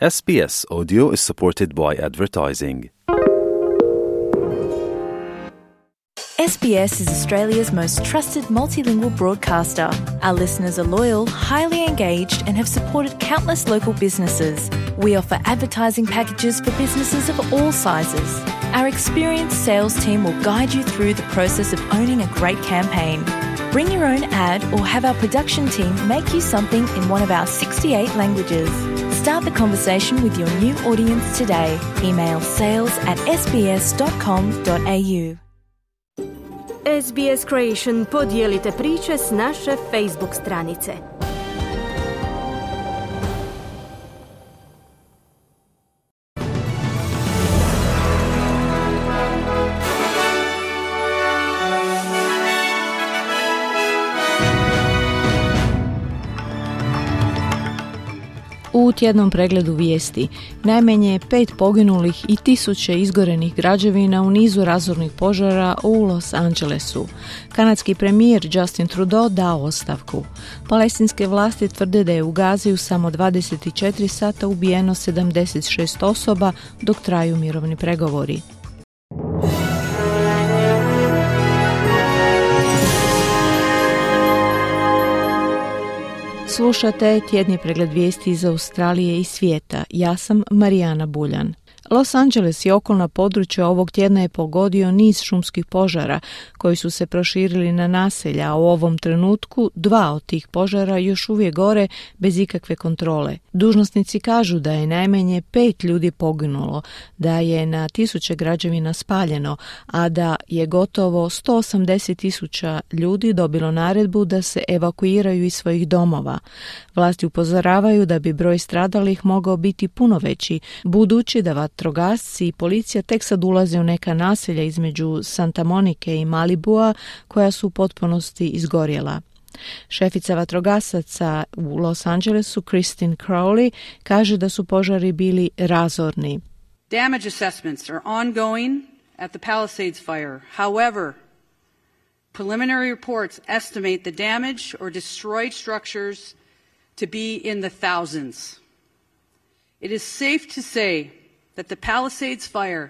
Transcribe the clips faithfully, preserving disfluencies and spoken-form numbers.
S B S Audio is supported by advertising. S B S is Australia's most trusted multilingual broadcaster. Our listeners are loyal, highly engaged, and have supported countless local businesses. We offer advertising packages for businesses of all sizes. Our experienced sales team will guide you through the process of owning a great campaign. Bring your own ad or have our production team make you something in one of our sixty-eight languages. Start the conversation with your new audience today. Email sales at s b s dot com dot a u. S B S Creation podijelite priče s naše Facebook stranice. U tjednom pregledu vijesti najmanje pet poginulih i tisuće izgorenih građevina u nizu razornih požara u Los Angelesu. Kanadski premijer Justin Trudeau dao ostavku. Palestinske vlasti tvrde da je u Gazi u samo dvadeset četiri sata ubijeno sedamdeset šest osoba dok traju mirovni pregovori. Slušate tjedni pregled vijesti iz Australije i svijeta. Ja sam Marijana Buljan. Los Angeles i okolna područja ovog tjedna je pogodio niz šumskih požara koji su se proširili na naselja, a u ovom trenutku dva od tih požara još uvijek gore bez ikakve kontrole. Dužnosnici kažu da je najmanje pet ljudi poginulo, da je na tisuće građevina spaljeno, a da je gotovo sto osamdeset tisuća ljudi dobilo naredbu da se evakuiraju iz svojih domova. Vlasti upozoravaju da bi broj stradalih mogao biti puno veći, budući da vatrogasci i policija tek sad ulaze u neka naselja između Santa Monike i Malibua koja su u potpunosti izgorjela. Šefica vatrogasaca u Los Angelesu, Christine Crowley, kaže da su požari bili razorni. Damage assessments are ongoing at the Palisades fire. However, preliminary reports estimate the damage or destroyed structures to be in the thousands. It is safe to say that the Palisades fire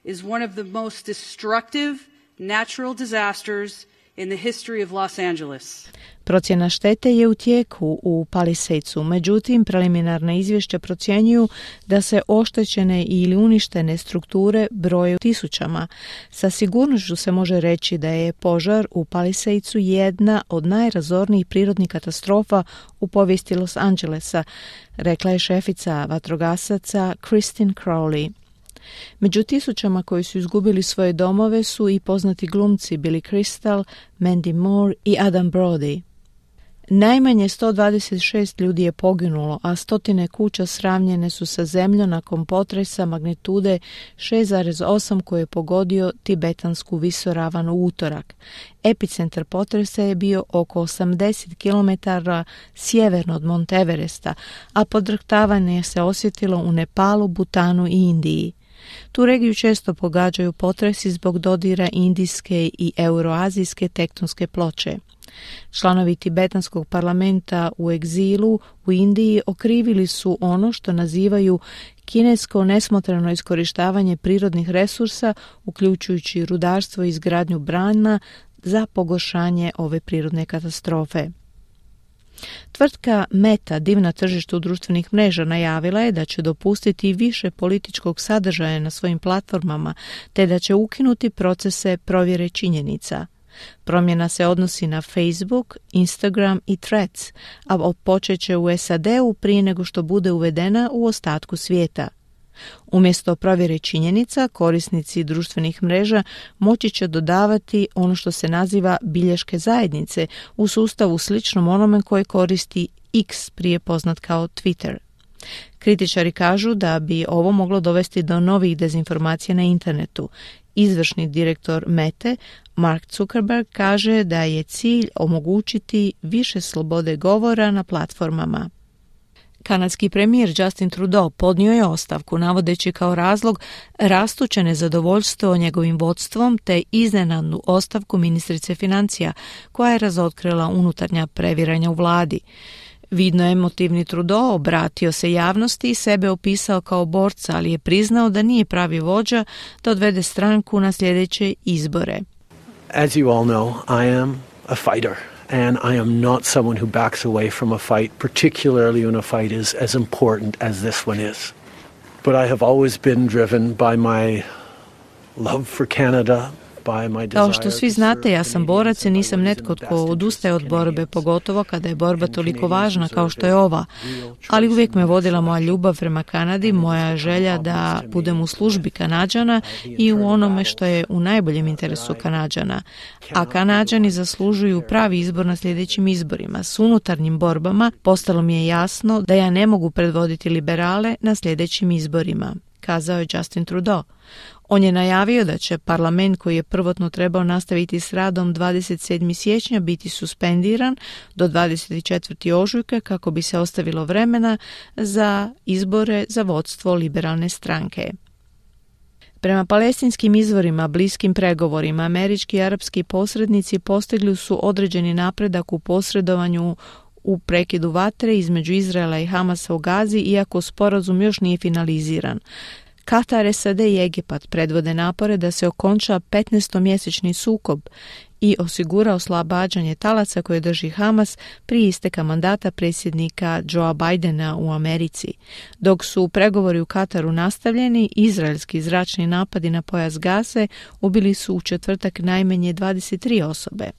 is one of the most destructive natural disasters in the history of Los Angeles. Procjena štete je u tijeku u Palisadesu, međutim preliminarna izvješća procjenjuju da se oštećene ili uništene strukture broje u tisućama. Sa sigurnošću se može reći da je požar u Palisadesu jedna od najrazornijih prirodnih katastrofa u povijesti Los Angelesa, rekla je šefica vatrogasaca Christine Crowley. Među tisućama koji su izgubili svoje domove su i poznati glumci Billy Crystal, Mandy Moore i Adam Brody. Najmanje sto dvadeset šest ljudi je poginulo, a stotine kuća sravnjene su sa zemljom nakon potresa magnitude šest zarez osam koji je pogodio tibetansku visoravan u utorak. Epicentar potresa je bio oko osamdeset kilometara sjeverno od Monte Everesta, a podrhtavanje se osjetilo u Nepalu, Butanu i Indiji. Tu regiju često pogađaju potresi zbog dodira indijske i euroazijske tektonske ploče. Članovi tibetanskog parlamenta u egzilu u Indiji okrivili su ono što nazivaju kinesko nesmotreno iskorištavanje prirodnih resursa, uključujući rudarstvo i izgradnju brana, za pogoršanje ove prirodne katastrofe. Tvrtka Meta, div na tržištu društvenih mreža, najavila je da će dopustiti više političkog sadržaja na svojim platformama, te da će ukinuti procese provjere činjenica. Promjena se odnosi na Facebook, Instagram i Threads, a počet će u S A D-u prije nego što bude uvedena u ostatku svijeta. Umjesto provjere činjenica, korisnici društvenih mreža moći će dodavati ono što se naziva bilješke zajednice u sustavu sličnom onome koje koristi X, prije poznat kao Twitter. Kritičari kažu da bi ovo moglo dovesti do novih dezinformacija na internetu. Izvršni direktor Mete, Mark Zuckerberg, kaže da je cilj omogućiti više slobode govora na platformama. Kanadski premijer Justin Trudeau podnio je ostavku navodeći kao razlog rastuće nezadovoljstvo njegovim vodstvom te iznenadnu ostavku ministrice financija koja je razotkrila unutarnja previranja u vladi. Vidno emotivni Trudeau obratio se javnosti i sebe opisao kao borca, ali je priznao da nije pravi vođa da odvede stranku na sljedeće izbore. As you all know, I am a fighter. And I am not someone who backs away from a fight, particularly when a fight is as important as this one is. But I have always been driven by my love for Canada. Kao što svi znate, ja sam borac i nisam netko tko odustaje od borbe, pogotovo kada je borba toliko važna kao što je ova. Ali uvijek me vodila moja ljubav prema Kanadi, moja želja da budem u službi Kanađana i u onome što je u najboljem interesu Kanađana. A Kanađani zaslužuju pravi izbor na sljedećim izborima. S unutarnjim borbama postalo mi je jasno da ja ne mogu predvoditi liberale na sljedećim izborima, kazao je Justin Trudeau. On je najavio da će parlament koji je prvotno trebao nastaviti s radom dvadeset sedmog siječnja biti suspendiran do dvadeset četvrtog ožujka kako bi se ostavilo vremena za izbore za vodstvo liberalne stranke. Prema palestinskim izvorima, bliskim pregovorima, američki i arapski posrednici postigli su određeni napredak u posredovanju u prekidu vatre između Izraela i Hamasa u Gazi, iako sporazum još nije finaliziran. Katar, S A D i Egipat predvode napore da se okonča petnaestomjesečni sukob i osigura oslobađanje talaca koje drži Hamas prije isteka mandata predsjednika Joea Bidena u Americi. Dok su pregovori u Kataru nastavljeni, izraelski zračni napadi na pojas Gaze ubili su u četvrtak najmanje dvadeset tri osobe.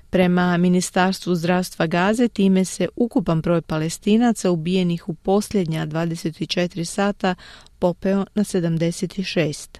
Prema Ministarstvu zdravstva Gaze, time se ukupan broj Palestinaca ubijenih u posljednja dvadeset četiri sata popeo na sedamdeset šest.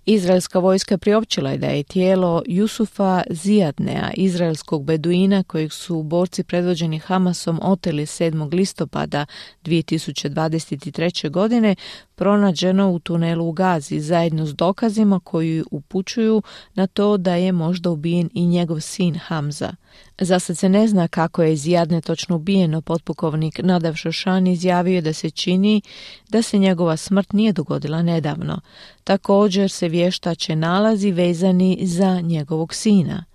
Izraelska vojska priopćila je da je tijelo Jusufa Zijadnea, izraelskog beduina kojeg su borci predvođeni Hamasom oteli sedmog listopada dvije tisuće dvadeset treće. godine, pronađeno u tunelu u Gazi zajedno s dokazima koji upućuju na to da je možda ubijen i njegov sin Hamza. Za sad se ne zna kako je Zijadne točno ubijeno. Potpukovnik Nadav Šošan izjavio da se čini da se njegova smrt nije dogodila nedavno. Također se vještače nalazi vezani za njegovog sina.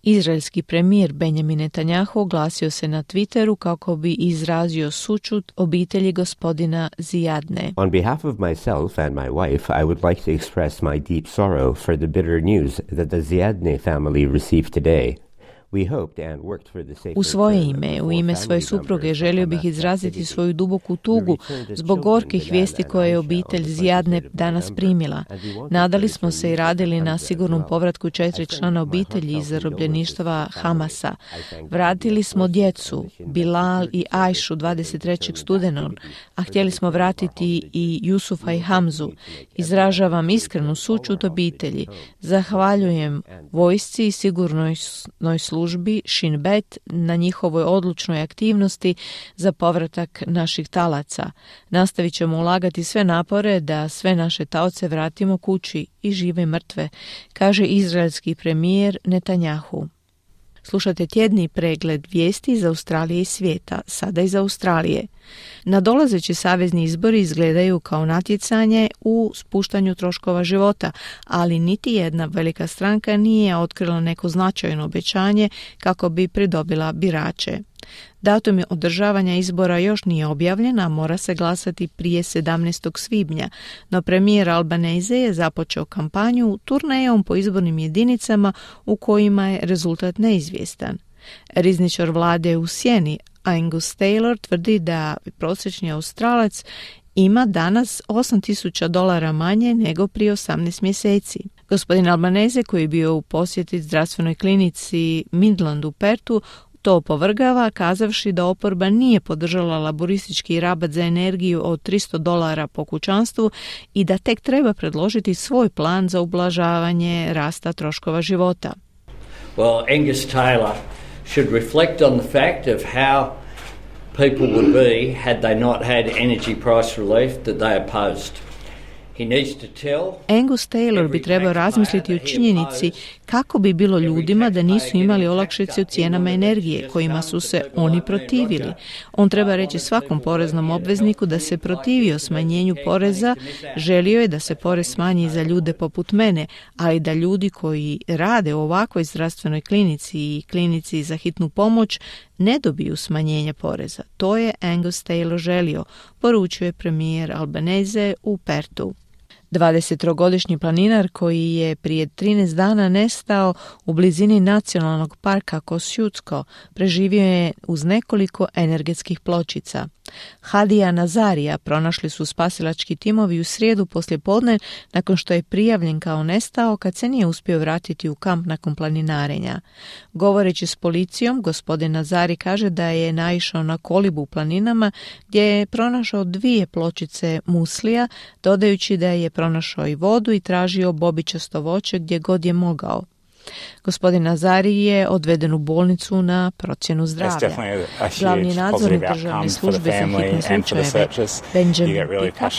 Izraelski premijer Benjamin Netanjahu oglasio se na Twitteru kako bi izrazio sućut obitelji gospodina Zijadne. On behalf of myself and my wife, I would like to express my deep sorrow for the bitter news that the Zijadne family received today. U svoje ime, u ime svoje supruge, želio bih izraziti svoju duboku tugu zbog gorkih vijesti koje je obitelj Zijadne danas primila. Nadali smo se i radili na sigurnom povratku četiri člana obitelji iz zarobljeništva Hamasa. Vratili smo djecu, Bilal i Ajšu dvadeset trećeg studenog, a htjeli smo vratiti i Jusufa i Hamzu. Izražavam iskrenu sućut obitelji. Zahvaljujem vojsci i sigurnoj službi službi Shin Bet na njihovoj odlučnoj aktivnosti za povratak naših talaca. Nastavit ćemo ulagati sve napore da sve naše taoce vratimo kući i žive i mrtve, kaže izraelski premijer Netanjahu. Slušate tjedni pregled vijesti iz Australije i svijeta, sada iz Australije. Nadolazeći savezni izbori izgledaju kao natjecanje u spuštanju troškova života, ali niti jedna velika stranka nije otkrila neko značajno obećanje kako bi pridobila birače. Datum održavanja izbora još nije objavljen, a mora se glasati prije sedamnaestog svibnja, no premijer Albanese je započeo kampanju turnejom po izbornim jedinicama u kojima je rezultat neizvjestan. Rizničar vlade u sjeni Angus Taylor tvrdi da prosječni Australac ima danas osam tisuća dolara manje nego prije osamnaest mjeseci. Gospodin Albanese, koji je bio u posjeti zdravstvenoj klinici Midland u Pertu, to opovrgava, kazavši da oporba nije podržala laboristički rabat za energiju od tristo dolara po kućanstvu i da tek treba predložiti svoj plan za ublažavanje rasta troškova života. Well, Angus Taylor should reflect on the fact of how people would be had they not had energy price relief that they opposed. Angus Taylor bi trebao razmisliti o činjenici kako bi bilo ljudima da nisu imali olakšice u cijenama energije kojima su se oni protivili. On treba reći svakom poreznom obvezniku da se protivio smanjenju poreza, želio je da se porez smanji za ljude poput mene, ali da ljudi koji rade u ovakvoj zdravstvenoj klinici i klinici za hitnu pomoć ne dobiju smanjenje poreza. To je Angus Taylor želio, poručuje premijer Albanese u Pertu. dvadesettrogodišnji planinar koji je prije trinaest dana nestao u blizini nacionalnog parka Kosciuszko preživio je uz nekoliko energetskih pločica. Hadija Nazarija pronašli su spasilački timovi u srijedu poslijepodne nakon što je prijavljen kao nestao kad se nije uspio vratiti u kamp nakon planinarenja. Govoreći s policijom, gospodin Nazari kaže da je naišao na kolibu u planinama gdje je pronašao dvije pločice muslija, dodajući da je pronašao i vodu i tražio bobičasto voće gdje god je mogao. Gospodin Nazari je odveden u bolnicu na procjenu zdravlja. Glavni nadzornik državne službe za hitne slučajeve Benjamin Pika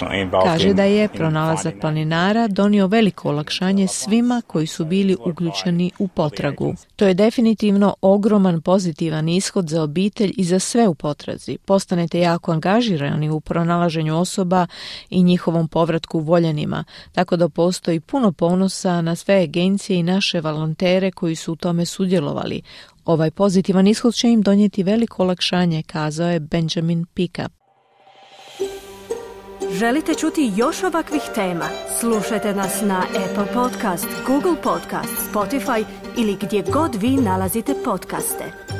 kaže da je pronalazak planinara donio veliko olakšanje svima koji su bili uključeni u potragu. To je definitivno ogroman pozitivan ishod za obitelj i za sve u potrazi. Postanete jako angažirani u pronalaženju osoba i njihovom povratku voljenima, tako da postoji puno ponosa na sve agencije i naše volontere koji su u tome sudjelovali. Ovaj pozitivan ishod će im donijeti veliko olakšanje, kazao je Benjamin Pika. Želite čuti još ovakvih tema? Slušajte nas na Apple Podcast, Google Podcast, Spotify ili gdje god vi nalazite podcaste.